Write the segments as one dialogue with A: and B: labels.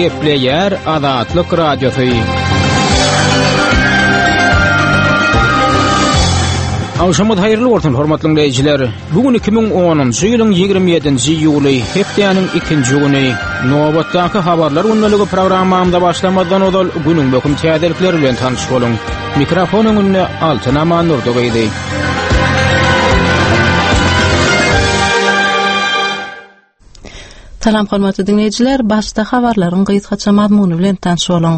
A: Gepleýär Azatlyk Radiosy. Agşamyňyz haýyrly bolsun, hormatly diňleýjiler. Bu gün 2010-njy ýylyň 27-nji iýuly, hepdäniň ikinji güni. Nobatdaky habarlar gündeligi programmamyza başlamazdan ozal günüň möhüm täzelikleri bilen tanyş boluň. Mikrofon öňünde Altyn Amandurdy gyzy.
B: Salam hormatly diňleýjiler, başda habarlaryň gysgaça mazmuny bilen tanyş boluň.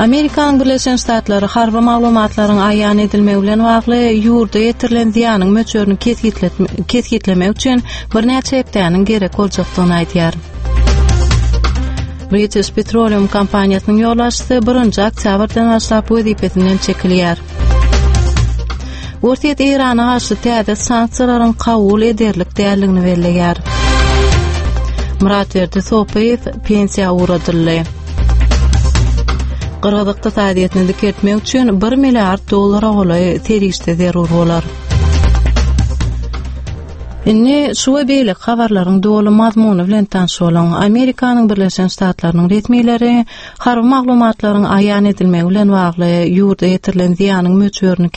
B: Amerikanyň Birleşen Ştatlary harby maglumatlaryň aýan edilmegi bilen bagly ýurda ýetirilen zyýanyň möçberini kesgitlemek üçin birnäçe hepdäniň gerek boljakdygyny aýdýar. British Petroleum kompaniýasynyň ýolbaşçysy birinji oktýabrdan başlap wezipesinden çekilýär. Orsýet Eýrana garşy täze sanksiýalaryň kabul ederlik däldigini belleýär. Myratberdi Sopyýew pensiýa ugradyldy. Gyrgyz ykdysadyýetini dikeltmek üçin 1 milliard dollara golaý serişde zerur bolar. Indi şu we beýleki habarlaryň doly mazmuny bilen tanyş boluň. Amerikanyň Birleşen Ştatlarynyň resmileri harby maglumatlaryň aýan edilmegi bilen bagly ýurda ýetirilen zyýanyň möçberini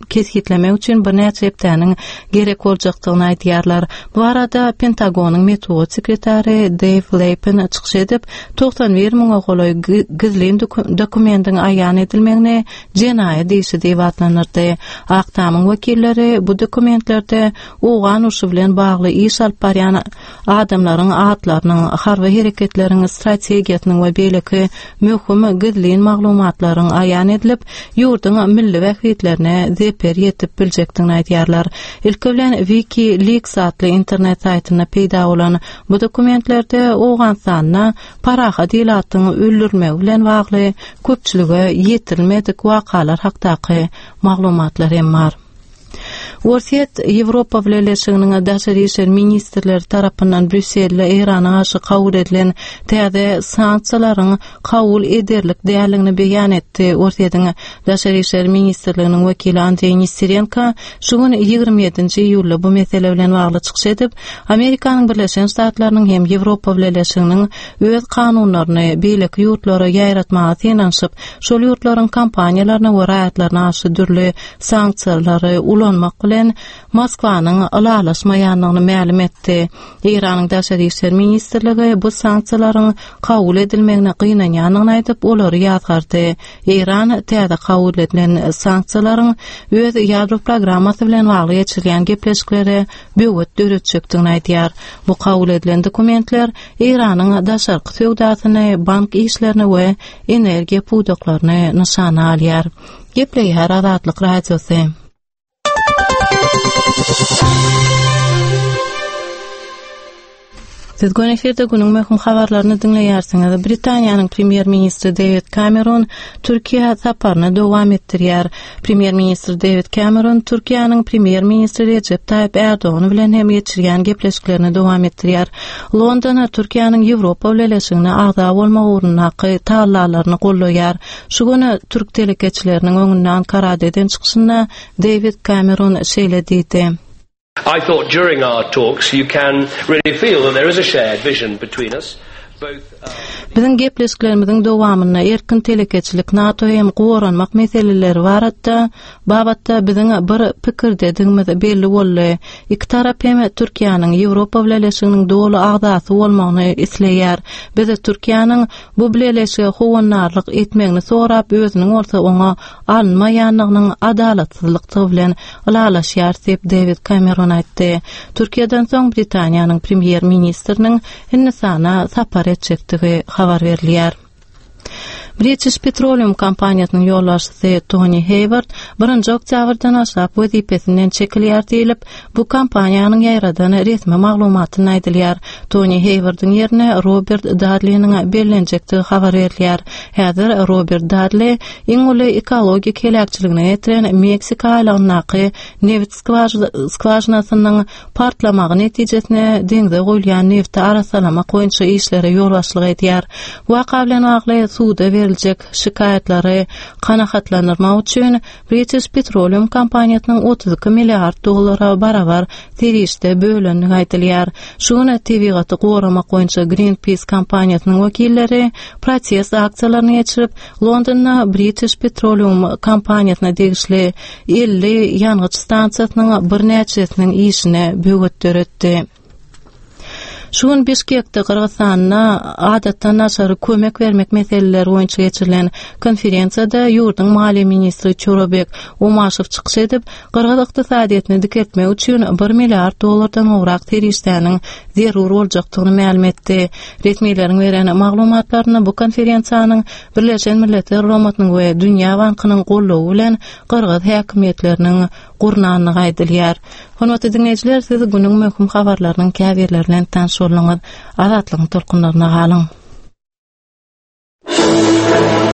B: kesgitlemek üçin birnäçe hepdäniň gerek boljakdygyny aýdýarlar. Bu barada Pentagonyň metbugat sekretary Deýw Leýpen çykyş edip, 91 müňe golaý gizlin dokumentiň aýan edilmegini jenaýat işi diýip atlandyrdy. Ak Tamyň wekilleri bu dokumentlerde owgan urşy bilen bagly iş alyp barýan adamlaryň atlarynyň, harby hereketleriň strategiýasynyň we beýleki möhüm gizlin maglumatlaryň aýan edilip, ýurduň milli bähbitlerine zeper ýetip biljekdigini aýdýarlar. Ilki bilen WikiLeaks atly internet saýtynda peýda bolan bu dokumentlerde Owganystanda parahat ilatyň öldürilmegi bilen bagly köpçülige ýetirilmedik wakalar hakdaky maglumatlar hem bar. Orsýet Ýewropa Bileleşiginiň daşary işler ministrleri tarapyndan Brýusselde Eýrana garşy kabul edilen täze sanksiýalaryň kabul ederlik däldigini beýan etdi. Orsýetiň Daşary işler ministrliginiň wekili Andreý Nesterenko şu gün 27-nji iýulda bu mesele bilen bagly çykyş edip, Amerikanyň Birleşen Ştatlarynyň hem Ýewropa Bileleşiginiň öz kanunlaryny beýleki ýurtlara ýaýratmaga synanyşyp, şol ýurtlaryň kompaniýalaryna we raýatlaryna garşy dürli sanksiýalary ulanmak bilen Moskwanyň ylalaşmaýandygyny mälim etdi. Eýranyň Daşary işler ministrligi bu sanksiýalaryň kabul edilmegine gynanýandygyny aýdyp, olary ýazgardy. Eýran täze kabul edilen sanksiýalaryň öz ýadro programmasy bilen bagly geçirilýän gepleşiklere böwet döretjekdigini aýdýar. Bu kabul edilen dokumentler Eýranyň daşarky söwdasyny, bank işlerini we energiýa pudaklaryny nyşana alýar. Gepleýär Azatlyk Radiosy. Siz göni efirde günüň möhüm habarlaryny diňleýärsiňiz. Britaniýanyň premýer-ministri Dewid Kameron Türkiýä saparyny dowam etdirýär. Premýer-ministr Dewid Kameron Türkiýäniň premýer-ministri Rejep Taýyp Ärdogan bilen hem geçirýän gepleşiklerini dowam etdirýär. London Türkiýäniň Ýewropa Bileleşigine agza bolmak ugrundaky tagallalaryny goldaýar. Şu gün türk telekeçileriniň öňünde Ankarada eden çykyşynda Dewid Kameron şeýle diýdi.
C: I thought during our talks you can really feel that there is a shared vision between us.
B: Biziň gepleşiklerimiziň dowamynda erkin telekeçilik, NATO hem goranmak meseleleri baratda babatda biziň bir pikirdedigimiz belli boldy. Iki tarap hem Türkiýäniň Ýewropa Bileleşiginiň doly agzasy bolmagyny isleýär. Biz Türkiýäniň bu bileleşige howandarlyk etmegini sorap, özüniň bolsa oňa alynmaýandygynyň adalatsyzlykdygy bilen ylalaşýarys diýip, Dewid Kameron aýtdy. Türkiýeden soň Britaniýanyň premýer-ministriniň Hindistana sapar etjekdigi habar berilýär. British Petroleum kompaniýasynyň ýolbaşçysy Toni Heýward birinji oktýabrdan başlap wezipesinden çekilýär diýlip, bu kompaniýanyň ýaýradan resmi maglumatynda aýdylýar. Toni Heýwardyň ýerine Robert Dadliniň bellenjekdigi habar berilýär. Häzir Robert Dadli iň uly ekologik heläkçiligine getiren Meksika aýlagyndaky nebit skwažinasynyň partlamagy netijesinde deňze guýulýan nebti arassalamak boýunça işlere ýolbaşçylyk edýär. Waka bilen bagly suda berlen. ýetiriljek şikaýatlary kanagatlandyrmak üçin British Petroleum kompaniýasynyň 32 milliard dollara barabar serişde bölendigi aýdylýar. Şu gün tebigaty goramak boýunça Greenpeace kompaniýasynyň wekilleri protest aksiýalaryny geçirip, Londonda British Petroleum kompaniýasyna degişli 50 ýangyç stansiýasynyň birnäçesiniň işine böwet döretdi. Şu gün Bişkekde Gyrgyzystanda adatdan daşary kömek bermek meseleleri boýunça geçirilen konferensiýada ýurduň maliýe ministri Çorabek Omaşow çykyş edip, gyrgyz ykdysadyýetini dikeltmek üçin bir milliard dollardan gowrak serişdäniň zerur boljakdygyny mälim etdi. Resmileriň beren maglumatlarynda bu konferensiýanyň Birleşen Milletler Guramasynyň we Dünýä Bankynyň goldawy bilen gyrgyz häkimiýetleriniň gurnandygy aýdylýar. Hormatly diňleýjiler, siz günüň möhüm habarlarynyň käbirleri bilen tanyş bolduňyz. Azatlygyň tolkunlaryna galyň.